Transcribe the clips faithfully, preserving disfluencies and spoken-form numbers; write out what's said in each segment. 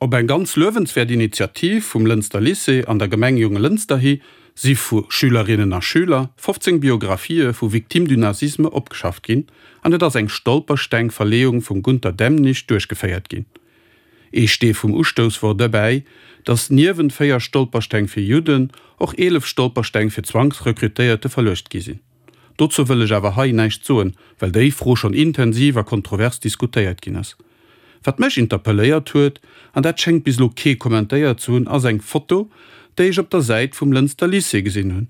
Op eng ganz luewenswäert Initiativ vum Lënster Lycée an der Gemeng Jonglënster hi si vu Schülerinnen a Schüler fofzéng Biografië vu Victimes du nazisme opgeschafft ginn an et ass eng Stolpersteng-Verleeung vum Gunter Demnig duerchgeféiert ginn. Ee Stee vum Ustouss wor dobäi, datt niewent véier Stolpersteng fir Judden och eelef Stolpersteng fir Zwangsrekrutéierte verluecht gi sinn. Dozou wëll ech awer hei näischt soen, well déi Fro schonn intensiv a kontrovers diskutéiert ginn ass. Wat mech interpelléiert huet, an dat schéngt bis elo kee kommentéiert ze hunn, ass eng Foto, déi ech op der Säit vum Lënster Lycée gesinn hunn.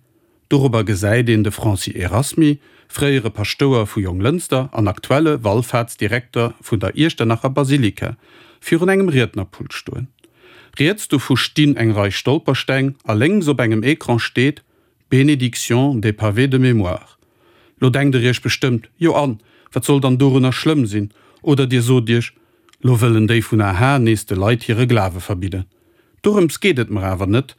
Dorobber gesäit een de Francis Erasmy, fréiere Paschtouer vu Jonglënster an aktuelle Wallfaartsdirekter vun der Iechternacher Basilika, virun engem Riednerpult stoen. Riets dovu stinn eng Rei Stolpersteng a lénks op engem Ecran steet, Bénédiction des pavés de mémoire. Lo denkt der iech bestëmmt, Jo an, wat soll dann dorunner schlëmm sinn? Oder dir sot iech, Lo wëllen déi vun A H nees de Leit hire Glawe verbidden. Dorëms geet et mer awer net.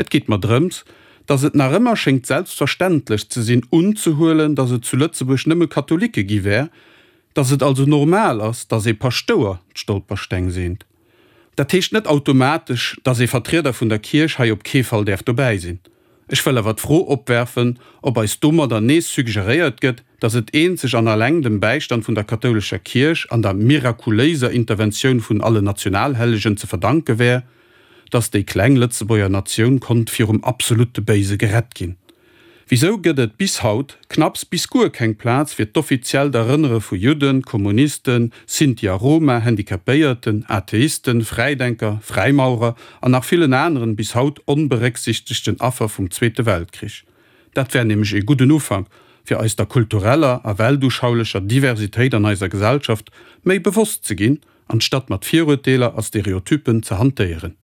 Et geet mer drëms, dass et nach ëmmer schéngt selbstverständlech ze sinn unzehuelen, dass et zu Lëtzebuerg nëmme Katholike gi wär, dass et also normal ass, dass ee Paschtouer d'Stolpersteng seent. Dat heescht net automatesch, dass ee Vertrieder vun der Kierch hei op kee Fall däerf dobäi sinn. Ech wëll awer d'Fro opwerfen, ob eis domadder nees suggeréiert gëtt, dass et eenzeg an alleng dem Bäistand vun der kathoulescher Kierch an der mirakuléiser Interventioun vun allen Nationalhellegen ze verdanke wär, dass déi kleng Lëtzebuerger Natioun konnt virum absolutte Béise gerett ginn. Wisou gëtt et bis haut knapps bis guer keng Plaz fir d'offiziellt Erënnere vu Judden, Kommunisten, Sinti a Roma, Handicapéierten, Atheisten, Fräidenker, Fräimaurer an nach villen aneren bis haut onberécksichtegten Affer vum Zweete Weltkrich? Dat wär nämlech ee gudden Ufank, fir eis der kultureller a weltuschaulecher Diversitéit an eiser Gesellschaft méi bewosst ze ginn, anstatt mat Virurteeler a Stereotypen ze hantéieren.